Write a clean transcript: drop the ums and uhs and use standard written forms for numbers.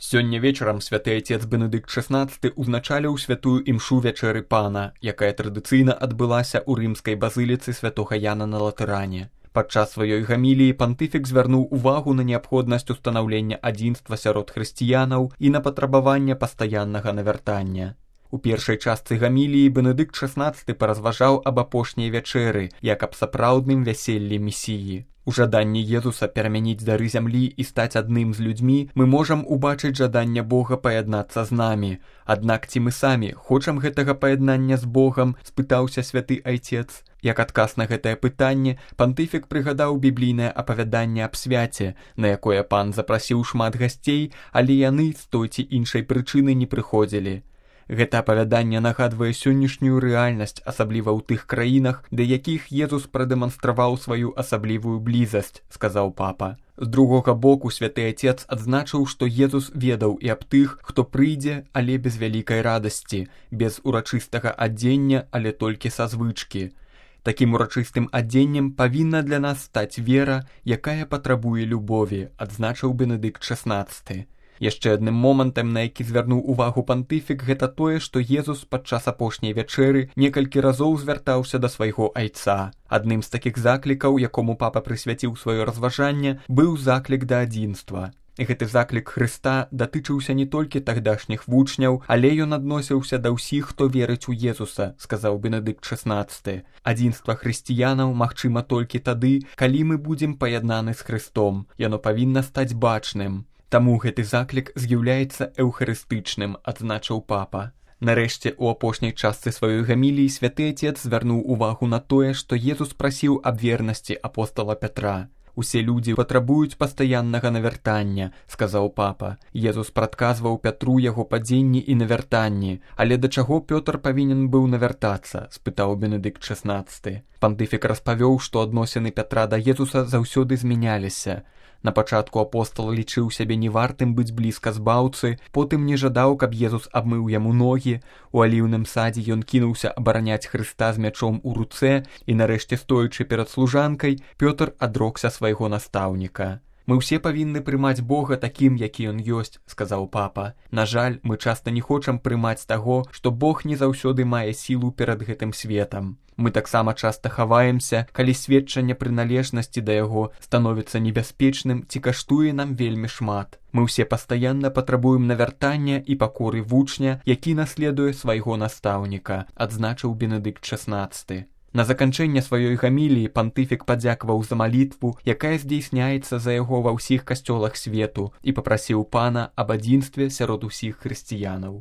Сёння вечарам святы айцец Бенедыкт XVI узначаліў святую імшу вячэры пана, якая традыцыйна адбылася ў рымскай базыліцы святога Яна на Латэране. Падчас сваёй гаміліі пантыфік звярнуў увагу на неабходнасць устанаўлення адзінства сярод хрысціянаў і на патрабаванне пастаяннага навяртання. У першай частцы гаміліі Бенедыкт XVI паразважаў аб апошняй вячэры, як аб сапраўдным вяселлі месіі. У жаданні Езуса перамяніць дары зямлі і стаць адным з людзьмі мы можам убачыць жаданне Бога паяднацца з намі. Аднак ці мы самі хочам гэтага паяднання з Богам, спытаўся святы айцец. Як адказ на гэтае пытанне, пантыфік прыгадаў біблійнае апавяданне аб свяце, на якое пан запрасіў шмат гасцей, але яны з той ці іншай прычыны не прыходзілі. Гэта апавяданне нагадвае сённяшнюю рэальнасць, асабліва ў тых краінах, да якіх Езус прадэманстраваў сваю асаблівую блізасць, сказаў папа. З другога боку, святы айцец адзначыў, што Езус ведаў і аб тых, хто прыйдзе, але без вялікай радасці, без урачыстага адзення, але толькі са звычкі. Такім урачыстым адзеннем павінна для нас стаць вера, якая патрабуе любові, адзначыў Бенедыкт XVI. Яшчэ адным момантам, на які звярнуў увагу пантыфік, гэта тое, што Езус падчас апошняй вячэры некалькі разоў звяртаўся да свайго айца. Адным з такіх заклікаў, якому папа прысвяціў сваё разважанне, быў заклік да адзінства. Гэты заклік Хрыста датычыўся не толькі тагдашніх вучняў, але ён адносіўся да ўсіх, хто верыць у Езуса, сказаў Бенедыкт XVI. Адзінства хрысціянаў магчыма толькі тады, калі мы будзем паяднаны з Хрыстом. Яно павінна стаць бачным. Таму гэты заклік з'яўляецца эўхарыстычным, адзначыў папа. Нарэшце, у апошняй частцы сваёй гаміліі святы айцец звярнуў увагу на тое, што Езус прасіў аб вернасці апостала Пятра. «Усе людзі патрабуюць пастаяннага навяртання», — сказаў папа. Езус прадказваў Пятру яго падзенні і навяртанні. Але да чаго Пётр павінен быў навяртацца, спытаў Бенедыкт XVI. Пантыфік распавёў, што адносіны Пятра да Езуса заўсёды змяняліся. На пачатку апостол лічыў сябе невартым быць блізка збаўцы, потым не жадаў, каб Езус абмыў яму ногі. У аліўным садзе ён кінуўся абараняць Хрыста з мячом у руцэ, і нарэшце, стоячы перад служанкай, Пётр адрокся свайго настаўніка. «Мы ўсе павінны прымаць Бога такім, які ён ёсць», — сказаў папа. «На жаль, мы часта не хочам прымаць таго, што Бог не заўсёды мае сілу перад гэтым светам. Мы таксама часта хаваемся, калі сведчанне прыналежнасці да яго становіцца небяспечным ці каштуе нам вельмі шмат. Мы ўсе пастаянна патрабуем навяртання і пакоры вучня, які наследуе свайго настаўніка», — адзначыў Бенедыкт XVI. На заканчэнне сваёй гаміліі пантыфік падзякаваў за малітву, якая здзейсняецца за яго ва ўсіх касцёлах свету, і папрасіў пана аб адзінстве сярод усіх хрысціянаў.